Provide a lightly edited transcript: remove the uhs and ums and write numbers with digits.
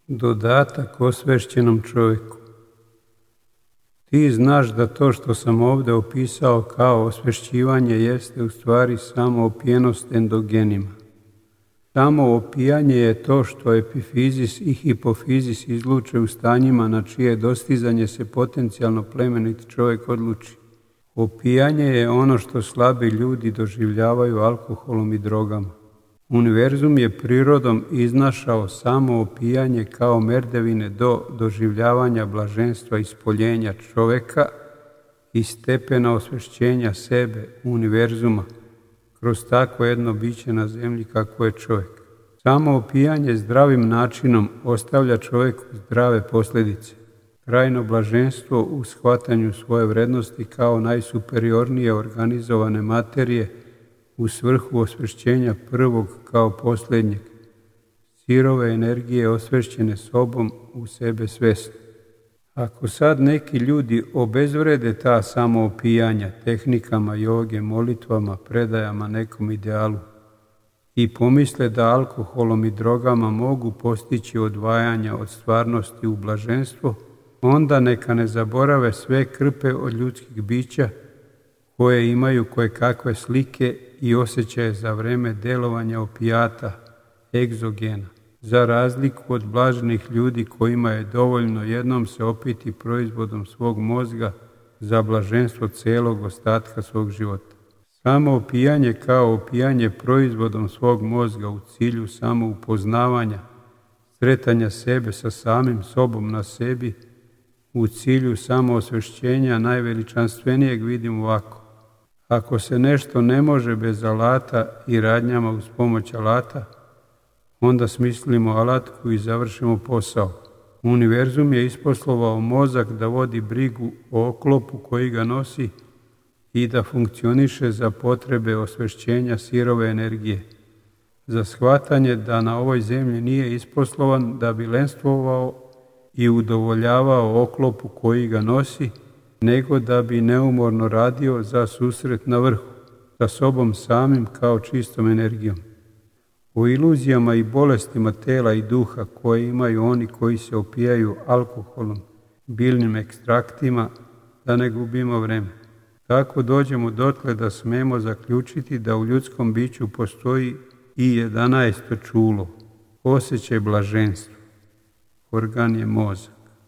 Dodatak osvešćenom čovjeku. Ti znaš da to što sam ovdje opisao kao osvešćivanje jeste u stvari samo opijenost endogenima. Samo opijanje je to što epifizis i hipofizis izluče u stanjima na čije dostizanje se potencijalno plemenit čovjek odluči. Opijanje je ono što slabi ljudi doživljavaju alkoholom i drogama. Univerzum je prirodom iznašao samo opijanje kao merdevine do doživljavanja blaženstva ispoljenja čovjeka i stepena osvešćenja sebe, univerzuma, kroz takvo jedno biće na zemlji kako je čovjek. Samo opijanje zdravim načinom ostavlja čovjeku zdrave posljedice. Trajno blaženstvo u shvatanju svoje vrednosti kao najsuperiornije organizovane materije u svrhu osvešćenja prvog kao posljednjeg, sirove energije osvešćene sobom u sebe svesni. Ako sad neki ljudi obezvrede ta samoopijanja tehnikama joge, molitvama, predajama nekom idealu i pomisle da alkoholom i drogama mogu postići odvajanja od stvarnosti u blaženstvo, onda neka ne zaborave sve krpe od ljudskih bića koje imaju kojekakve slike i osjećaje za vreme delovanja opijata, egzogena, za razliku od blaženih ljudi kojima je dovoljno jednom se opiti proizvodom svog mozga za blaženstvo cijelog ostatka svog života. Samo opijanje kao opijanje proizvodom svog mozga u cilju samoupoznavanja, sretanja sebe sa samim sobom na sebi, u cilju samoosvešćenja najveličanstvenijeg vidim ovako. Ako se nešto ne može bez alata i radnjama uz pomoć alata, onda smislimo alatku i završimo posao. Univerzum je isposlovao mozak da vodi brigu o oklopu koji ga nosi i da funkcioniše za potrebe osvešćenja sirove energije. Za shvatanje da na ovoj zemlji nije isposlovan da bi lenstvovao i udovoljavao oklopu koji ga nosi, nego da bi neumorno radio za susret na vrhu, sa sobom samim kao čistom energijom. O iluzijama i bolestima tela i duha koje imaju oni koji se opijaju alkoholom, biljnim ekstraktima, da ne gubimo vreme. Tako dođemo dotle da smemo zaključiti da u ljudskom biću postoji i 11. čulo, osjećaj blaženstva. Organ je mozak.